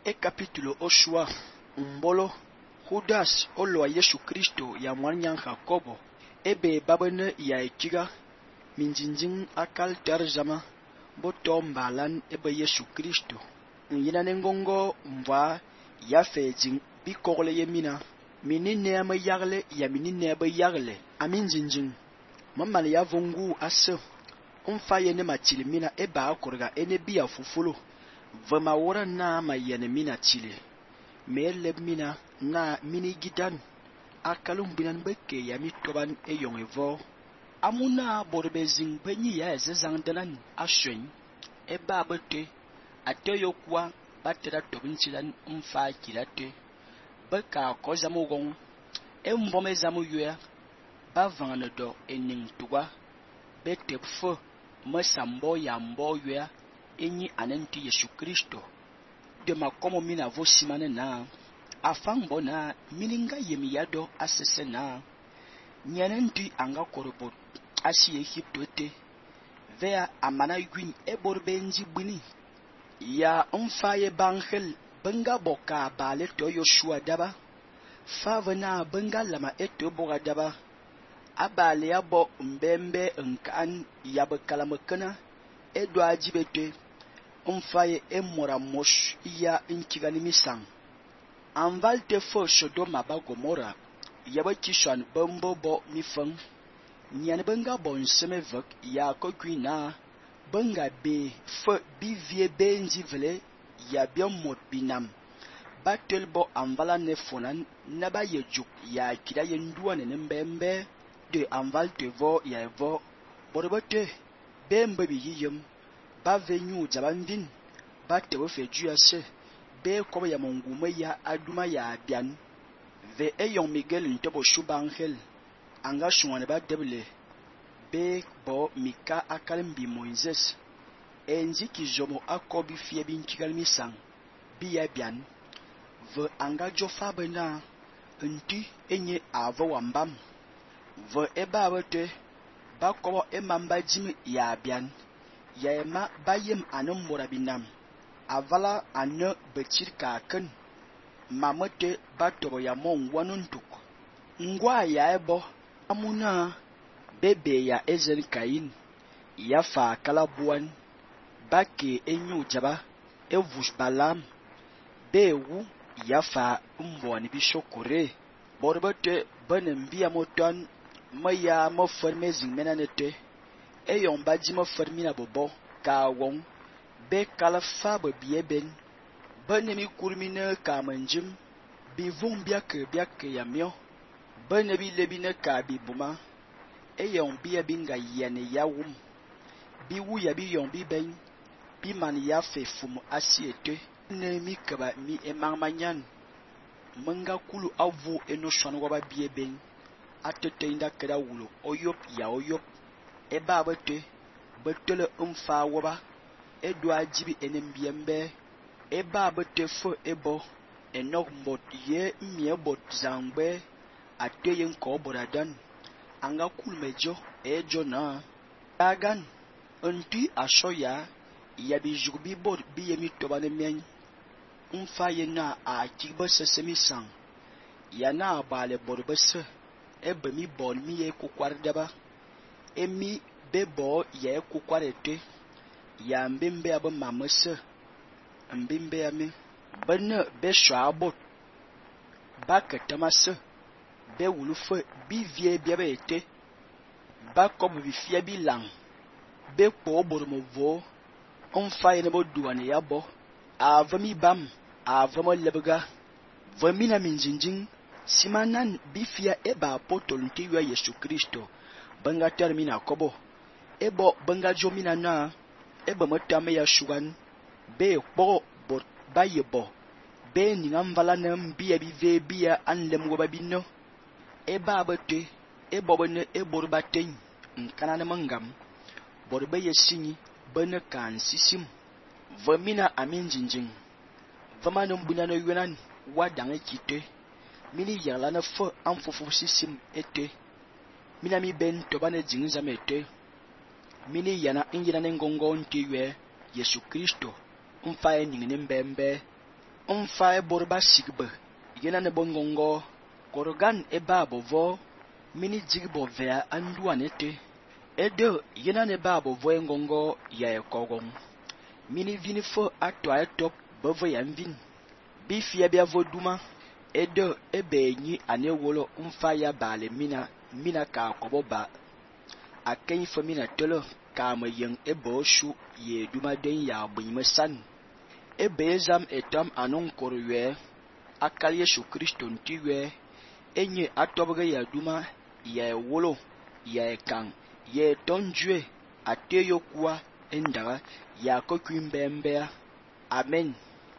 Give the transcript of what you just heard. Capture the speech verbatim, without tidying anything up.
E capítulo Oshua, Mbolo, Judas, Olo a Yesu Kristo ya mwanyan Jacobo, ebe babene ya ekiga, minjinjin akal tarzama, boto mbalan ebe Yesu Kristo. Nyina nengongo mva ya fejin bikokle yemina, minine ama yagle ya minine ebe yagle, aminjinjin. Maman ya vongu asse, umfa yene machili mina eba akorga ene biya fufulo. Vema wora na ma yene mina chile. Me leb mina na mini gidan. Akalum binan beke ya mi toban e yon evo. Amuna borbe zing penyi ya ezezang delan ashwen. E ba bete. Ate yokwa batera tobin chilan umfa kilate. Beka ko zamu gong. E mbome zamu yue. Ba vangane do ening tuwa. Bete pfo. Mesambo ya mbo yue. Enyi anenti Yesu Kristo de makomo mina vo simane na afangbo na mininga yemi yado asese na nyanenti anga korobot asi Egypto te vea amana gwin eborbe nji bini ya umfaye bangel benga boka bale to Yoshua daba fave na benga lama eto boga daba abale yabo mbembe nkan yabe kalamekana edo ajibete umfaye emora mosh iya inkigani misang anval te fo Sodoma ba Gomora yaba kishan bombo bo mifang nyan benga bon semevek ya ko gwina benga be fo bivie benji vele ya biomot binam batel bo anvala ne fonan naba yejuk ya kida yendua ne mbembe de anval te vo ya vo borbote bembe bi yiyem ba venyu jabandin ba tewe fe juyase be koba ya mongume ya aduma ya bian ve eyon Miguel ntobo shubangel anga shungane ba deble be bo mika akalimbi Moises enji kijomo akobi fie bin kigalmi sang bi ya bian ve anga jofa bena nti enye avo wambam ve eba abote ba kobo emamba jimi ya bian Yema bayem anem morabinam avala ane betir kaken mamete batobo ya mon wanuntuk ngwa ya ebo amuna bebe ya ezen kain ya fa kalabuan bake enyu jaba evush balam bewu ya fa mbwani bishokore borbete benem biya moton maya mo fermezing menanete eyon baji mo fermina bobo ka won be kala fa be bieben benemi kurmine ka manjim bi vum biake biake yamio benebi lebine ka bi buma eyon bia binga yene yawum bi wu ya bi yon bi ben bi man ya fe fum asiete nemi kaba mi emangmanyan menga kulu avu eno shwanwa ba bieben atete inda keda wulo oyop ya oyop eba abete betele umfa woba edo ajibi enembiembe eba abete fo ebo enok mbot ye mie bot zangbe ateye nko boradan anga kulmejo ejo na agan unti ashoya ya bijubi bot bi yemi tobane men umfa ye na a kibo sesemi sang ya na bale borbese ebe mi bol mi ye kukwardaba emi bebo ye kukwarete ya mbimbe abe mamese mbimbe ame bene be shwabot baketamase be wulufe bivie biabe ete bakob bifia bilang be kpo bormovo onfa yene bo duane yabo avami bam avamo lebga vamina minjinjin simanan bifia eba apostol ntiwa Yesu Kristo benga termina kobo ebo benga jomina na ebo motame ya shugan be kpo bot bayebo be ningam vala na mbia bive bia anlem go babino eba abote ebo bene eborba ten nkana na mangam borbe yesinyi bene kan sisim vamina aminjinjin vamano mbuna no yunan wadange kite mini yala na fo amfufu sisim ete mina mi ben tobane jingza mete mini yana injina nengongo ntiwe Yesu Kristo umfaye ningine mbembe Mfa e borba sigbe yena ne bongongo korgan e ba bovo mini digbo vea anduanete ede yena ne ba bovo engongo ya ekogong mini vini fo atwa etop bovo ya mvin bifia bia voduma ede ebe nyi anewolo mfa ya bale mina mina ka kobo ba aken fo mina tele ka me yen ebo shu ye duma den ya bwime san ebe zam etam anon korwe akal Yesu Kristo ntiwe enye atobge ya duma ya wolo ya kan ye tonjue ateyo kwa endara ya kokwimbe mbea amen.